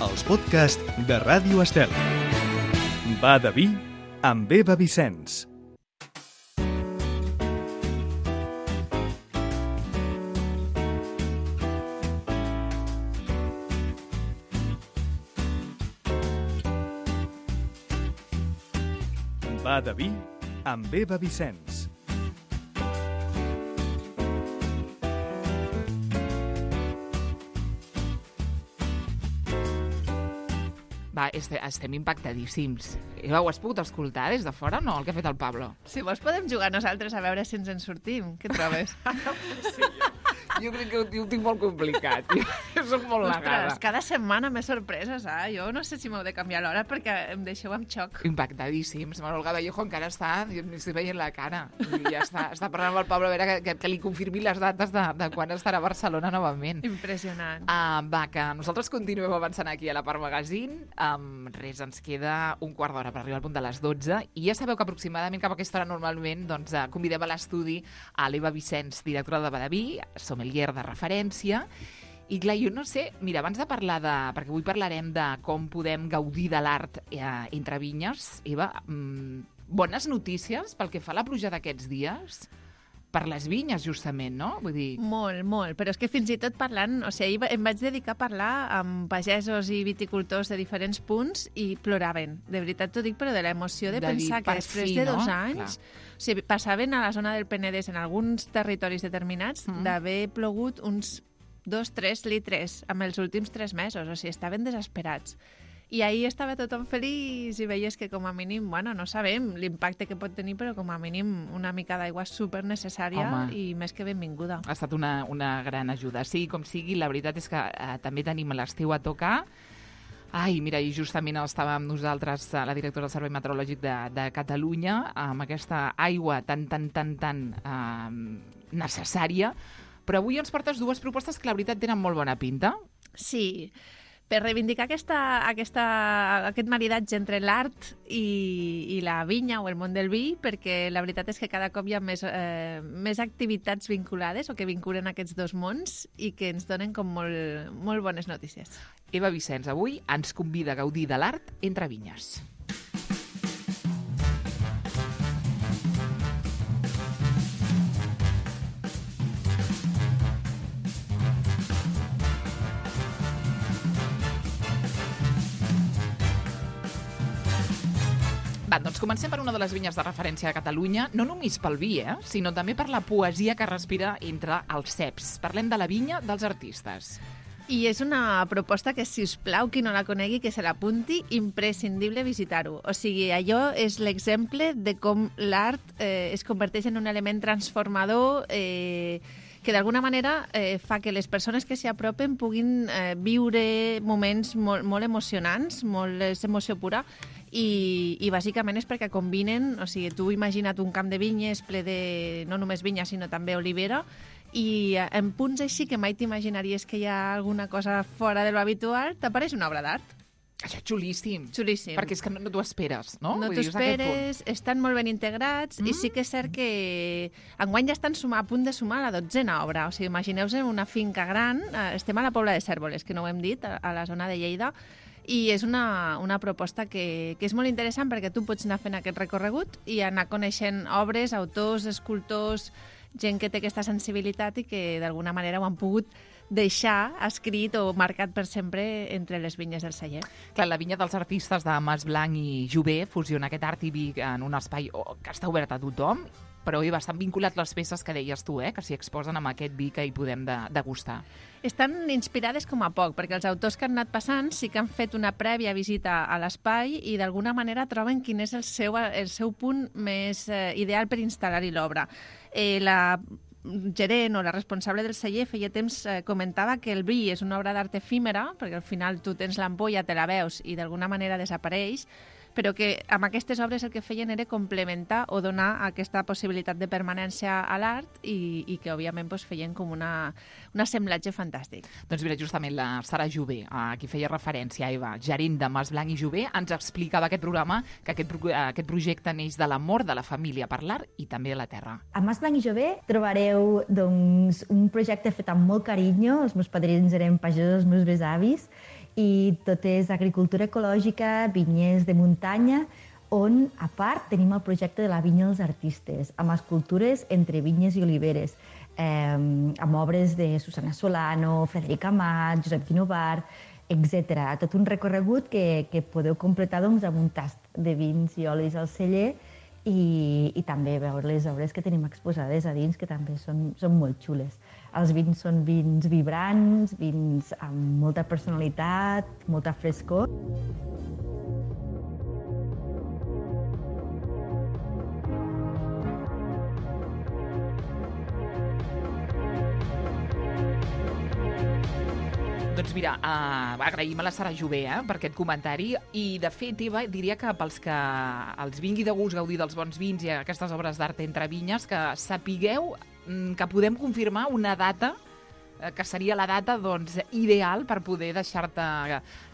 els podcasts de Ràdio Estel. Va de vi amb Eva Vicenç. Va de vi amb Eva Vicenç. Va, estem impactadíssims. Eva, ho has pogut escoltar des de fora o no, el que ha fet el Pablo? Si vols podem jugar nosaltres a veure si ens en sortim. Què trobes? Jo crec que ho tinc molt complicat. Jo soc molt negada. Ostres, cada setmana més sorpreses, eh? Jo no sé si m'heu de canviar l'hora perquè em deixeu amb xoc. Impactadíssims. Manuel Gavallejo encara està, jo m'estic veient la cara. I ja està parlant amb el Pablo a veure que li confirmi les dates de quan estarà a Barcelona novament. Impressionant. Va, que nosaltres continuem avançant aquí a la Part Magazine. Res, ens queda un quart d'hora per arribar al punt de les 12 i ja sabeu que aproximadament cap a aquesta hora normalment convidem a l'estudi a l'Eva Vicenç, directora de Badaví, sommelier de referència. I clar, jo no sé, mira, abans de parlar perquè avui parlarem de com podem gaudir de l'art entre vinyes, Eva, bones notícies pel que fa a la pluja d'aquests dies? Per les vinyes, justament, no? Vull dir... Molt, molt. Però és que fins i tot parlant... O sigui, ahir em vaig dedicar a parlar amb pagesos i viticultors de diferents punts i ploraven. De veritat t'ho dic, però de l'emoció de pensar que després de 2 anys... O sigui, passaven a la zona del Penedès, en alguns territoris determinats, d'haver plogut uns 2-3 litres en els últims 3 mesos. O sigui, estaven desesperats. I ahir estava tothom feliç i veies que com a mínim, bueno, no sabem l'impacte que pot tenir, però com a mínim una mica d'aigua super necessària i més que benvinguda. Ha estat una gran ajuda. Sí, com sigui, la veritat és que també tenim l'estiu a tocar. Ai, mira, i justament estava amb nosaltres la directora del Servei Meteorològic de Catalunya amb aquesta aigua tan necessària, però avui ens portes 2 propostes que la veritat tenen molt bona pinta. Sí, per reivindicar aquest maridatge entre l'art i la vinya o el món del vi, perquè la veritat és que cada cop hi ha més activitats vinculades o que vinculen aquests 2 mons i que ens donen com molt bones notícies. Eva Vicenç avui ens convida a gaudir de l'art entre vinyes. Va, doncs comencem per una de les vinyes de referència de Catalunya, no només pel vi, sinó també per la poesia que respira entre els ceps. Parlem de la vinya dels artistes. I és una proposta que, si us plau, qui no la conegui, que se l'apunti, imprescindible visitar-ho. O sigui, allò és l'exemple de com l'art es converteix en un element transformador que d'alguna manera fa que les persones que s'hi apropen puguin viure moments molt emocionants, és emoció pura, i bàsicament és perquè combinen, o sigui, tu imagina't un camp de vinyes ple de no només vinya, sinó també olivera, i en punts així que mai t'imaginaries que hi ha alguna cosa fora de lo habitual, t'apareix una obra d'art. Això és xulíssim. Xulíssim. Perquè és que no t'ho esperes, no? No t'ho esperes, estan molt ben integrats i sí que és cert que enguany ja estan a punt de sumar la 12a obra. O sigui, imagineu-vos una finca gran, estem a la Pobla de Cérvoles, que no ho hem dit, a la zona de Lleida, i és una proposta que és molt interessant perquè tu pots anar fent aquest recorregut i anar coneixent obres, autors, escultors, gent que té aquesta sensibilitat i que d'alguna manera ho han pogut deixar escrit o marcat per sempre entre les vinyes del celler. Clar, la vinya dels artistes de Mas Blanc i Jover fusiona aquest art i vi en un espai que està obert a tothom, però hi estan vinculats les peces que deies tu, que s'hi exposen amb aquest vi que hi podem degustar. Estan inspirades com a poc, perquè els autors que han anat passant sí que han fet una prèvia visita a l'espai i d'alguna manera troben quin és el seu punt més ideal per instal·lar-hi l'obra. La gerent o la responsable del celler feia temps comentava que el vi és una obra d'art efímera, perquè al final tu tens l'ampolla, te la veus i d'alguna manera desapareix, però que amb aquestes obres el que feien era complementar o donar aquesta possibilitat de permanència a l'art i que, òbviament, feien com un assemblatge fantàstic. Doncs mira, justament la Sara Jover, a qui feia referència, Eva, gerent de Mas Blanc i Jover, ens explicava aquest programa, que aquest projecte neix de l'amor de la família per l'art i també de la terra. A Mas Blanc i Jover trobareu un projecte fet amb molt carinyo, els meus padrins eren pagesos, els meus besavis, i tot és agricultura ecològica, vinyers de muntanya, on, a part, tenim el projecte de la Vinya dels Artistes, amb escultures entre vinyes i oliveres, amb obres de Susana Solano, Frederic Amat, Josep Guinovar, etc. Tot un recorregut que podeu completar doncs, amb un tast de vins i olis al celler i també veure les obres que tenim exposades a dins, que també són molt xules. Els vins són vins vibrants, vins amb molta personalitat, molta frescor. Doncs mira, agraïm a la Sara Jové per aquest comentari i, de fet, Eva, diria que pels que els vingui de gust gaudir dels bons vins i aquestes obres d'art entre vinyes, que sapigueu que podem confirmar una data que seria la data doncs, ideal per poder deixar-te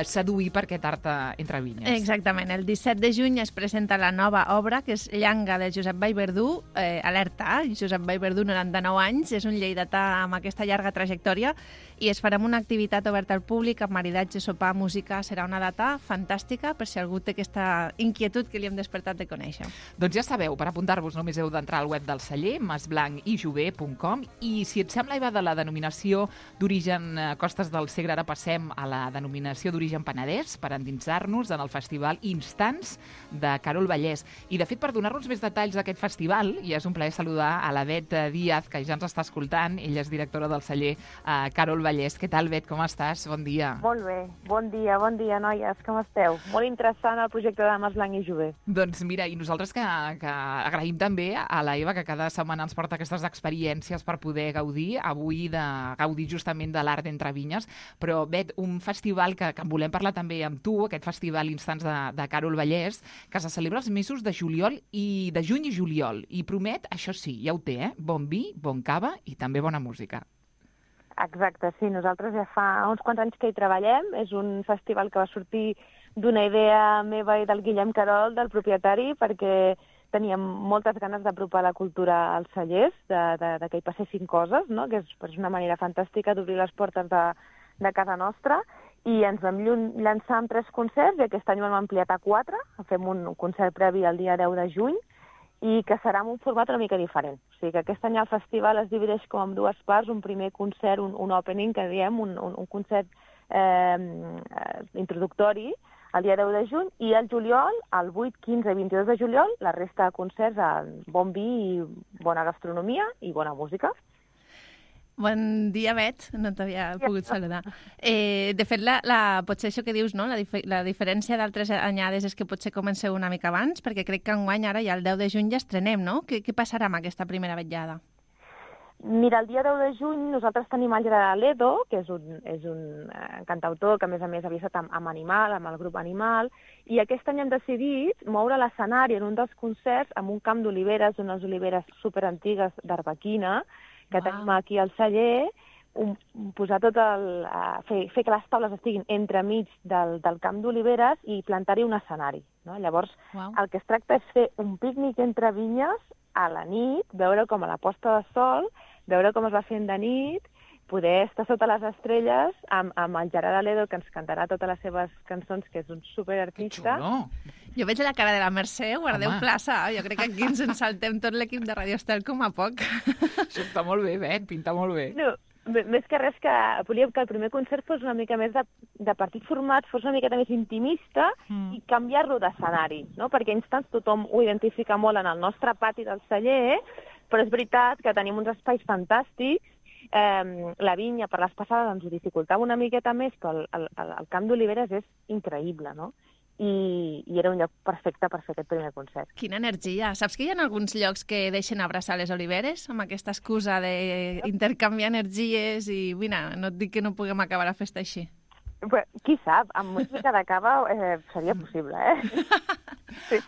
seduir per aquest art entre vinyes. Exactament. El 17 de juny es presenta la nova obra, que és Llanga, de Josep Vallverdú. Alerta, Josep Vallverdú, 99 anys, és un lleidatà amb aquesta llarga trajectòria i es farà una activitat oberta al públic amb maridatge, sopar, música. Serà una data fantàstica per si algú té aquesta inquietud que li hem despertat de conèixer. Doncs ja sabeu, per apuntar-vos només heu d'entrar al web del celler, masblanc-i-jové.com, i si et sembla, Eva, de la denominació d'origen Costes del Segre, ara passem a la denominació d'origen Penedès per endinsar-nos en el festival Instants de Carol Vallès. I, de fet, per donar-nos més detalls d'aquest festival, i és un plaer saludar a la Bet Díaz, que ja ens està escoltant. Ella és directora del celler Carol Vallès. Què tal, Bet? Com estàs? Bon dia. Molt bé. Bon dia, noies. Com esteu? Molt interessant el projecte de Masblanc i Jové. Doncs mira, i nosaltres que agraïm també a la Eva, que cada setmana ens porta aquestes experiències per poder gaudir. Avui gaudir justament de l'art entre vinyes, però, Bet, un festival que en volem parlar també amb tu, aquest festival Instants de Carol Vallès, que se celebra els mesos de juny i juliol, i promet, això sí, ja ho té, bon vi, bon cava i també bona música. Exacte, sí, nosaltres ja fa uns quants anys que hi treballem, és un festival que va sortir d'una idea meva i del Guillem Carol, del propietari, perquè teníem moltes ganes d'apropar la cultura als cellers, de que hi passessin coses, no? Que és una manera fantàstica d'obrir les portes de casa nostra, i ens vam llançar amb 3 concerts, i aquest any ho hem ampliat a 4, fem un concert previ el dia 10 de juny, i que serà en un format una mica diferent. O sigui que aquest any el festival es divideix com en 2 parts, un primer concert, un opening, que diem, un concert introductori, el dia 10 de juny, i el juliol, el 8, 15 i 22 de juliol, la resta de concerts amb bon vi i bona gastronomia i bona música. Bon dia, Bet, no t'havia pogut saludar. De fet, potser això que dius, no? La diferència d'altres anyades és que potser comenceu una mica abans, perquè crec que enguany ara ja el 10 de juny ja estrenem, no? Què passarà amb aquesta primera vetllada? Mira, el dia 10 de juny nosaltres tenim el Gerard Ledo, que és un cantautor que, a més havia estat amb Animal, amb el grup Animal, i aquest any hem decidit moure l'escenari en un dels concerts amb un camp d'oliveres, unes oliveres superantigues d'Arbequina, que tenim aquí al celler, posar fer que les taules estiguin entremig del camp d'oliveres i plantar-hi un escenari. No? Llavors, el que es tracta és fer un pícnic entre vinyes a la nit, veure com a la posta de sol, veure com es va fent de nit, poder estar sota les estrelles amb el Gerard Aledo, que ens cantarà totes les seves cançons, que és un superartista. Que xulo! Jo veig la cara de la Mercè, guardeu plaça. Jo crec que aquí ens en saltem tot l'equip de Radio Estel com a poc. Això està molt bé, Bet, pinta molt bé. No, més que res que volíem que el primer concert fos una mica més de petit format, fos una mica més intimista i canviar-lo d'escenari, no? Perquè Instants tothom ho identifica molt en el nostre pati del celler, però és veritat que tenim uns espais fantàstics. La vinya per les passades ens ho dificultava una miqueta més, però el camp d'oliveres és increïble, no? I era un lloc perfecte per fer aquest primer concert. Quina energia! Saps que hi ha alguns llocs que deixen abraçar les oliveres amb aquesta excusa d'intercanviar energies i, mira, no et dic que no puguem acabar la festa així? Qui sap, amb música de cava seria possible, Sí.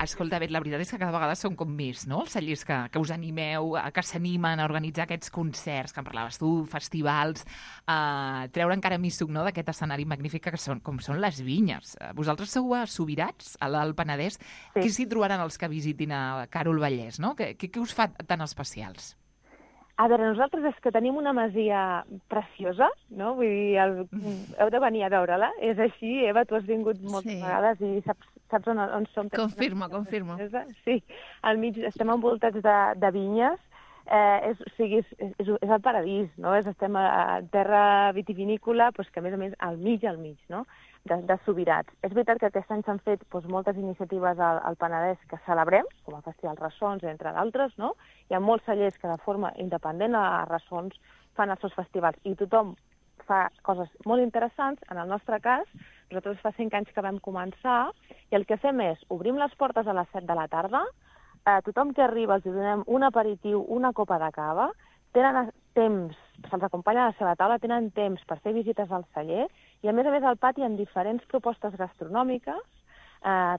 Escolta, Bet, la veritat és que cada vegada són com més, no? Els cellers que us animeu, que s'animen a organitzar aquests concerts, que en parlaves tu, festivals, treure encara més suc, no?, d'aquest escenari magnífic com són les vinyes. Vosaltres sou a Subirats, a l'Alt Penedès. Què s'hi trobaran els que visitin a Carol Vallès, no? Què us fa tan especials? A veure, nosaltres és que tenim una masia preciosa, no? Vull dir, heu de venir a veure-la. És així, Eva, tu has vingut moltes vegades i saps on som. Confirmo. Sí, al mig estem envoltats de vinyes. És el paradís, no? Estem a terra vitivinícola, doncs que a més al mig, no? De Subirats. És veritat que aquest any s'han fet moltes iniciatives al Penedès que celebrem, com el Festival Ressons, entre d'altres, no? Hi ha molts cellers que de forma independent a Ressons fan els seus festivals i tothom fa coses molt interessants. En el nostre cas, nosaltres fa 5 anys que vam començar i el que fem és obrim les portes a les 7 de la tarda, tothom que arriba els donem un aperitiu, una copa de cava, tenen temps, se'ls acompanya a la seva taula, tenen temps per fer visites al celler i a més al pati hi ha diferents propostes gastronòmiques,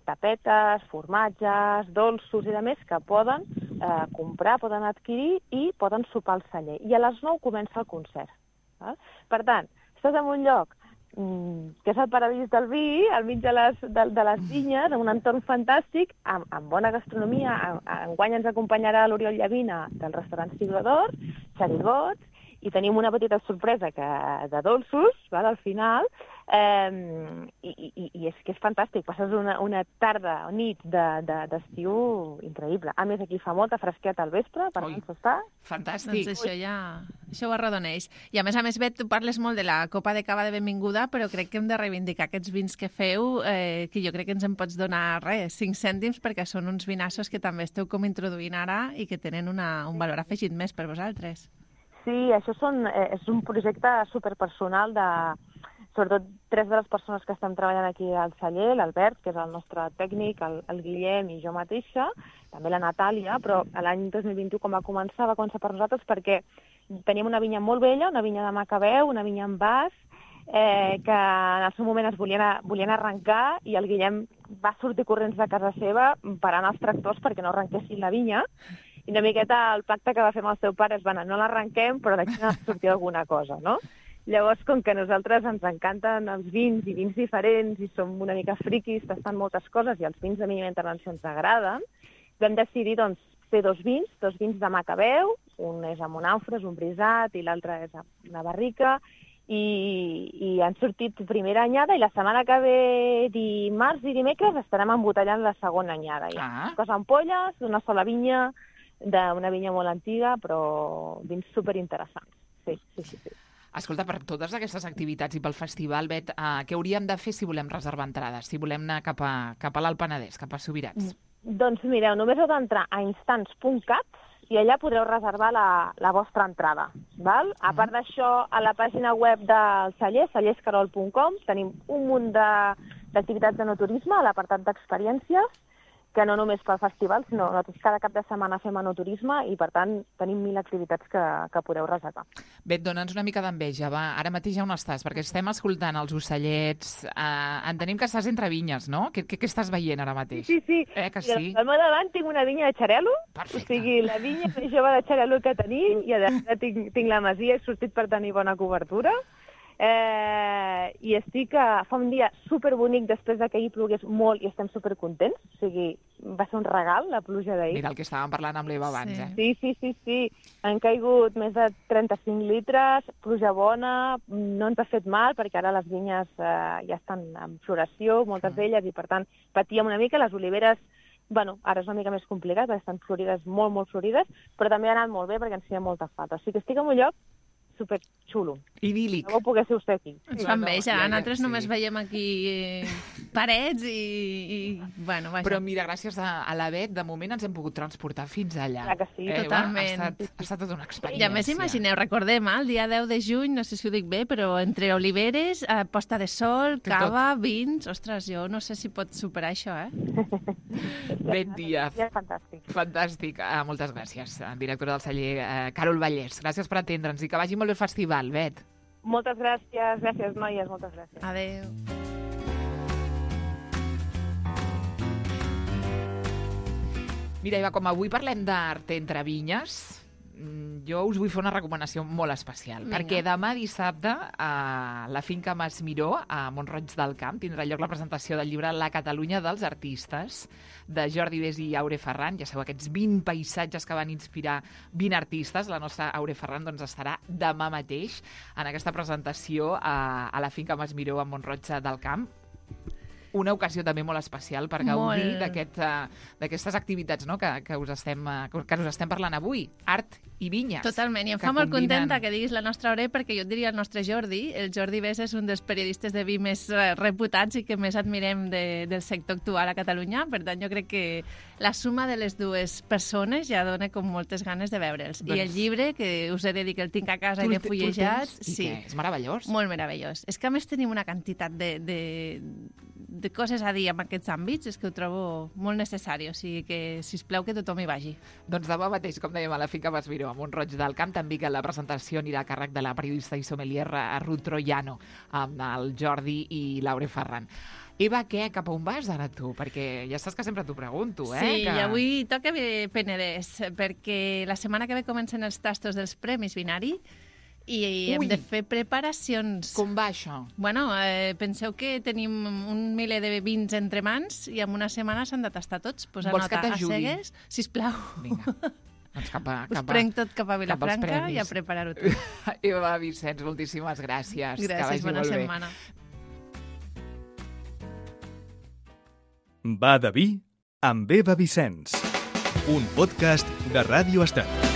tapetes, formatges, dolços i de més que poden comprar, poden adquirir i poden sopar al celler. I a les 9 comença el concert. Val? Per tant, estàs en un lloc que és el paradís del vi, al mig de les vinyes, en un entorn fantàstic, amb bona gastronomia. Enguany ens acompanyarà l'Oriol Llavina del restaurant Siglo d'Or, xerigots, i tenim una petita sorpresa de dolços, val, al final, i és que és fantàstic. Passes una tarda o nit d'estiu increïble. A més, aquí fa molta fresqueta al vespre, per tant, s'està... Fantàstic. Doncs això ho arrodoneix. I a més, Bet, tu parles molt de la copa de cava de benvinguda, però crec que hem de reivindicar aquests vins que feu, que jo crec que ens en pots donar, 5 cèntims, perquè són uns vinassos que també esteu com introduint ara i que tenen un valor afegit més per vosaltres. Sí, això és un projecte superpersonal sobretot 3 de les persones que estem treballant aquí al celler, l'Albert, que és el nostre tècnic, el Guillem i jo mateixa, també la Natàlia, però l'any 2021 com va començar per nosaltres perquè teníem una vinya molt vella, una vinya de Macabeu, una vinya en vas, que en el seu moment es volien arrencar i el Guillem va sortir corrents de casa seva parant els tractors perquè no arrenquessin la vinya. I una miqueta el pacte que va fer amb el seu pare és, no l'arrenquem, però d'aquí n'ha de sortir alguna cosa, no? Llavors, com que a nosaltres ens encanten els vins i vins diferents i som una mica friquis, tastant moltes coses i els vins de mínima intervenció ens agraden, vam decidir, fer 2 vins de Macabeu, un és a Monàufres, un brisat, i l'altre és una barrica, i han sortit primera anyada i la setmana que ve, dimarts i dimecres, estarem embotellant la segona anyada. Hi ha coses ampolles, d'una sola vinya, d'una vinya molt antiga, però vins superinteressants. Sí. Escolta, per totes aquestes activitats i pel festival, Bet, què hauríem de fer si volem reservar entrades, si volem anar cap a l'Alt Penedès, cap a Subirats? Doncs mireu, només heu d'entrar a instants.cat i allà podreu reservar la vostra entrada. Val? A part d'això, a la pàgina web del celler, cellerscarol.com, tenim un munt d'activitats de enoturisme a l'apartat d'experiències, que no només pel festival, sinó nosaltres cada cap de setmana fem enoturisme i, per tant, tenim 1.000 activitats que podeu reservar. Bet, dona'ns una mica d'enveja, va. Ara mateix ja on estàs? Perquè estem escoltant els ocellets. Entenem que estàs entre vinyes, no? Què estàs veient ara mateix? Sí. Que sí? Al meu davant tinc una vinya de xarel·lo. Perfecte. O sigui, la vinya més jove de xarel·lo que tenim, i a darrere tinc la masia, he sortit per tenir bona cobertura. I estic fa un dia superbonic després que ahir plogués molt i estem supercontents. O sigui, va ser un regal, la pluja d'ahir. Mira el que estàvem parlant amb l'Eva abans, Sí. Han caigut més de 35 litres, pluja bona, no ens ha fet mal perquè ara les vinyes ja estan en floració, moltes d'elles, i per tant patíem una mica. Les oliveres, ara és una mica més complicat perquè estan florides, molt, molt florides, però també ha anat molt bé perquè ens feia molta falta. O sigui que estic en un lloc superxulo. Idíl·lic. No ho poguéssiu ser aquí. Ens fa enveja. Nosaltres només veiem aquí parets i vaja. Però mira, gràcies a la Bet, de moment ens hem pogut transportar fins allà. Clar que sí. Totalment. Ha estat tota una experiència. I a més, imagineu, recordem, el dia 10 de juny, no sé si ho dic bé, però entre oliveres, posta de sol, cava, vins... Ostres, jo no sé si pot superar això, Bet Díaz. Fantàstic. Fantàstic. Moltes gràcies, directora del celler Carol Vallès. Gràcies per atendre'ns i que vagi molt bé el festival, Bet. Moltes gràcies, noies, moltes gràcies. Adéu. Mira, Eva, com avui parlem d'art entre vinyes, jo us vull fer una recomanació molt especial, Vinga. perquè demà dissabte a la finca Mas Miró, a Mont-roig del Camp, tindrà lloc la presentació del llibre La Catalunya dels artistes, de Jordi Bes i Aure Ferran. Ja sabeu, aquests 20 paisatges que van inspirar 20 artistes. La nostra Aure Ferran doncs, estarà demà mateix en aquesta presentació a la finca Mas Miró, a Mont-roig del Camp. Una ocasió també molt especial per gaudir d'aquestes activitats, no? que us estem parlant avui. Art i vinyes. Totalment, i em fa molt contenta que diguis la nostra Aure, perquè jo et diria el nostre Jordi. El Jordi Bes és un dels periodistes de vi més reputats i que més admirem del sector actual a Catalunya. Per tant, jo crec que la suma de les dues persones ja dona com moltes ganes de veure'ls. I el llibre, que us he de dir que el tinc a casa i l'he fullejat... Sí, és meravellós. Molt meravellós. És que a més tenim una quantitat de coses a dir en aquests àmbits, és que ho trobo molt necessari, o sigui que, sisplau, que tothom hi vagi. Doncs demà mateix, com dèiem, a la finca Mas Miró, a Mont-roig del Camp, també que la presentació anirà a càrrec de la periodista i sommelier Ruth Troiano, amb el Jordi i l'Aure Ferran. Eva, què? Cap a on vas ara tu? Perquè ja saps que sempre t'ho pregunto, Sí, i avui toca Penedès, perquè la setmana que ve comencen els tastos dels Premis Vinari, i hem de fer preparacions. Com va això? Bueno, penseu que tenim un miler de vins entre mans i en una setmana s'han de tastar tots. Posa Vols que nota a t'ajudi? cegues, sisplau. Vinga, doncs Us prenc tot cap a Vilafranca i a preparar-ho tot. Eva Vicenç, moltíssimes gràcies. Gràcies, bona setmana. Va de vi amb Eva Vicenç. Un podcast de Ràdio Estel.